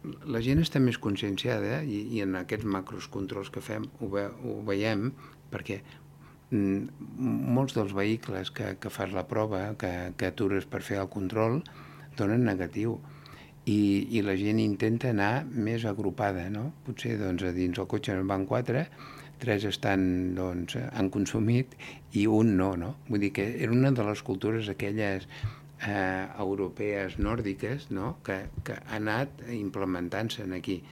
la gent està més conscienciada i en aquests macros controls que fem ho veiem perquè molts dels vehicles que fas la prova, que atures per fer el control, donen negatiu. I la gent intenta anar més agrupada, no? Potser doncs, a dins el cotxe en van 4, 3 han consumit i un no, no? Vull dir que era una de les cultures aquelles europees nòrdiques, no? que ha anat implementant-se aquí.